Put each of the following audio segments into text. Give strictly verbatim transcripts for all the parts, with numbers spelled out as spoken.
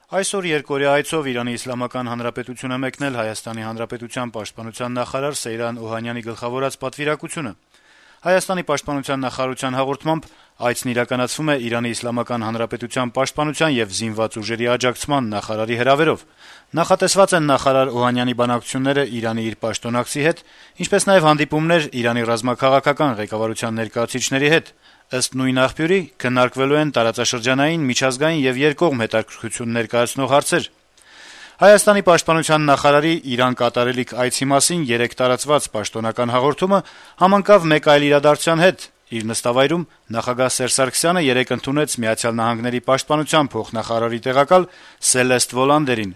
Այսօր երկօրյա այցով Իրանի Իսլամական Հանրապետություն է մեկնել Հայաստանի Հանրապետության պաշտպանության նախարար Սեյրան Օհանյանի գլխավորած պատվիրակությունը։ Հայաստանի պաշտպանության նախարարության հաղորդմամբ այցն իրականացվում է Իրանի Իսլամական Հանրապետության պաշտպանության եւ զինված ուժերի աջակցման նախարարի հրավերով։ Նախատեսված են նախարար Օհանյանի բանակցությունները Իրանի իր պաշտոնակցի հետ, ինչպես նաեւ հանդիպումներ Իրանի ռազմաքաղաքական ղեկավարության ներկայացուցիչների հետ։ Ըստ նույն աղբյուրի քննարկվելու են տարածաշրջանային, միջազգային եւ երկկողմ հետաքրքրություն ներկայացնող հարցեր։ Հայաստանի պաշտպանության նախարարի Իրան կատարելիք այցի մասին երեկ տարածված պաշտոնական հաղորդումը համընկավ մեկ այլ իրադարձության հետ։ Իր նստավայրում նախագահ Սերժ Սարգսյանը երեկ ընդունեց Միացյալ Նահանգների պաշտպանության փոխնախարարի տեղակալ Սելեստ Վոլանդերին։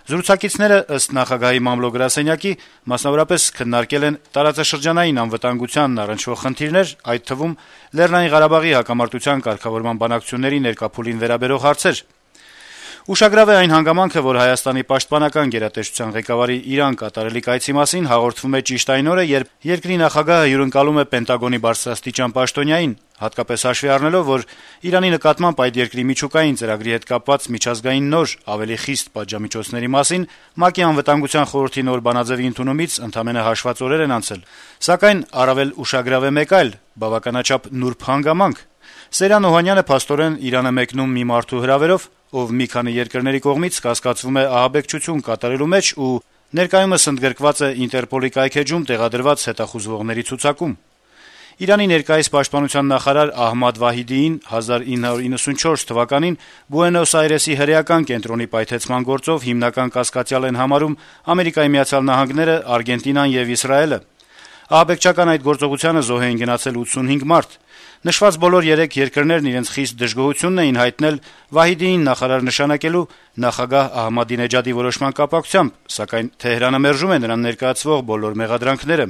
Զրուցակիցները, ըստ նախագահի մամլո-գրասենյակի, մասնավորապես քննարկել են տարածաշրջանային անվտանգությանն առնչվող խնդիրներ, այդ թվում Լեռնային Ղարաբաղի հակամարտության կարգավորման բանակցությունների ներկայփուլին վերաբերող հարցեր։ Ուշագրավ է այն հանգամանքը, որ Հայաստանի պաշտպանական գերատեսչության ղեկավարի Իրան կատարելիք այցի մասին հաղորդվում է ճիշտ այն օրը, երբ երկրի նախագահը հյուրընկալում է Պենտագոնի բարձրաստիճան պաշտոնյային, հատկապես հաշվի առնելով, որ Իրանի նկատմամբ այդ երկրի միջուկային ծրագրի հետ կապված միջազգային նոր, ավելի խիստ պատժամիջոցների մասին ՄԱԿ-ի անվտանգության խորհրդի նոր բանաձեւի ընդունումից ընդամենը հաշված օրեր են անցել։ Սակայն առավել ուշագրավ է մեկ այլ, բավականաչափ նուրբ հանգամանք։ Սեյրան Օհանյանը փաստորեն Իրան է մեկնում մի մարդու հրավերով, ով մի քանի երկրների կողմից կասկածվում է ահաբեկչություն կատարելու մեջ ու ներկայումս ընդգրկված է Ինտերպոլի կայքեջում տեղադրված հետախուզվողների ցուցակում։ Իրանի ներկայիս պաշտպանության նախարար Ահմադ Վահիդիին հազար ինը հարյուր իննսունչորս թվականին Բուենոս Այրեսի հրեական կենտրոնի պայթեցման գործով հիմնական կասկածյալ են համարում Ամերիկայի Միացյալ Նահանգները, Արգենտինան եւ Իսրայելը։ Ահաբեկչական այդ գործողությանը զոհ էին գնացել ութսունհինգ մարդ։ Նշված բոլոր երեք երկրներն իրենց խիստ դժգոհությունն էին հայտնել Վահիդիին նախարար նշանակելու նախագահ Ահմադինեջադի որոշման կապակցությամբ, սակայն Թեհրանը մերժում է նրան ներկայացվող բոլոր մեղադրանքները։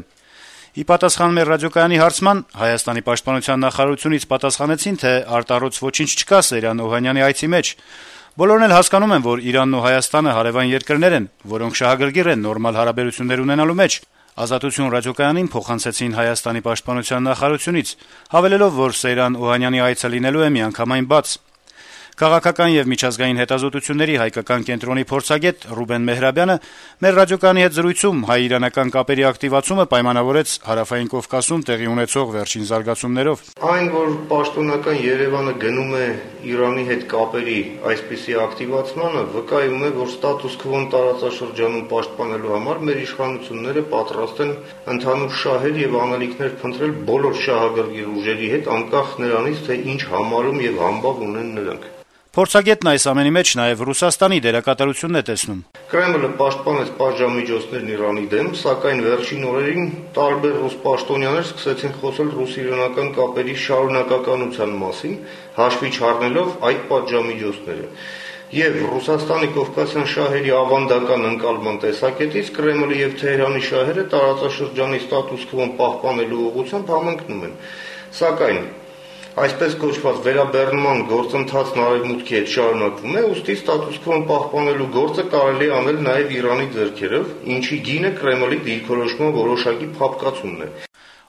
Ի պատասխան մեր ռադիոկայանի հարցման Հայաստանի պաշտպանության նախարարությունից պատասխանեցին, թե արտառոց ոչինչ չկա Սեյրան Օհանյանի այցի մեջ։ Բոլորն էլ հասկանում են, որ Իրանն ու Հայաստանը հարևան երկրներ են, որոնք շահագրգիռ են նորմալ հարաբերություններ ունենալու մեջ։ Ազատություն ռադիոկայանին փոխանցեցին Հայաստանի պաշտպանության նախարարությունից, հավելելով, որ Սեյրան Օհանյանի այցը լինելու է միանգամայն բաց։ Քաղաքական եւ միջազգային հետազոտությունների հայկական կենտրոնի փորձագետ Ռուբեն Մեհրաբյանը մեր ռադիոկայանի հետ զրույցում հայ-իրանական կապերի ակտիվացումը պայմանավորեց Հարավային Կովկասում տեղի ունեցող վերջին զարգացումներով։ Այն, որ պաշտոնական Երևանը գնում է Իրանի հետ կապերի այսպիսի ակտիվացմանը, վկայում է, որ ստատուս քվոն տարածաշրջանում պաշտպանելու համար մեր իշխանությունները պատրաստ են ընդհանուր շահեր եւ անելիքներ փնտրել բոլոր շահագրգիռ ուժերի հետ, անկախ նրանից, թե ինչ համարում եւ համբավ ունեն նրանք։ Փորձագետն այս ամենի մեջ նաև Ռուսաստանի դերակատարությունն է տեսնում։ Կրեմլը պաշտպանեց պատժամիջոցներն Իրանի դեմ, սակայն վերջին օրերին տարբեր ռուս պաշտոնյաներ սկսեցին խոսել ռուս-իրանական կապերի շարունակականության մասին, հաշվի չառնելով այդ պատժամիջոցները։ Եվ Ռուսաստանի կովկասյան շահերի ավանդական ընկալման տեսակետից Կրեմլի եւ Թեհրանի շահերը տարածաշրջանի ստատուս քվոն պահպանելու ուղղությամբ համընկնում են։ Սակայն այսպես կոչված վերաբեռնման գործընթացն արևմուտքի հետ շարունակվում է, ուստի ստատուս քվոն պահպանելու գործը կարելի է անել նաև Իրանի ձեռքերով, ինչի գինը Կրեմլի դիրքորոշման որոշակի փափկացումն է։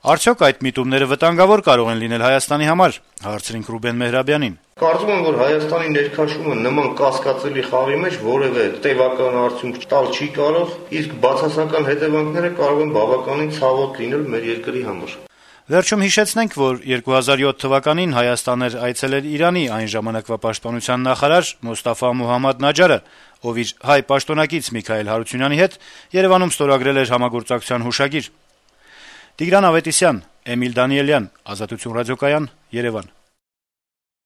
Արդյոք այդ միտումները վտանգավոր կարող են լինել Հայաստանի համար, հարցրինք Ռուբեն Մեհրաբյանին։ Կարծում եմ, որ Հայաստանի ներքաշումը նման կասկածելի խաղի մեջ որևէ տևական արդյունք տալ չի կարող, իսկ բացասական հետևանքները կարող են բավականին ցավոտ լինել մեր երկրի համար։ Վերջում հիշեցնենք, որ երկու հազար յոթ թվականին Հայաստան էր այցելել Իրանի այն ժամանակվա պաշտպանության նախարար Մոստաֆա Մոհամմադ Նաջարը, ով իր հայ պաշտոնակից Միքայել Հարությունյանի հետ Երևանում ստորագրել էր համագործակցության հուշագիր։ Տիգրան Ավետիսյան, Էմիլ Դանիելյան, Ազատություն ռադիոկայան, Երևան։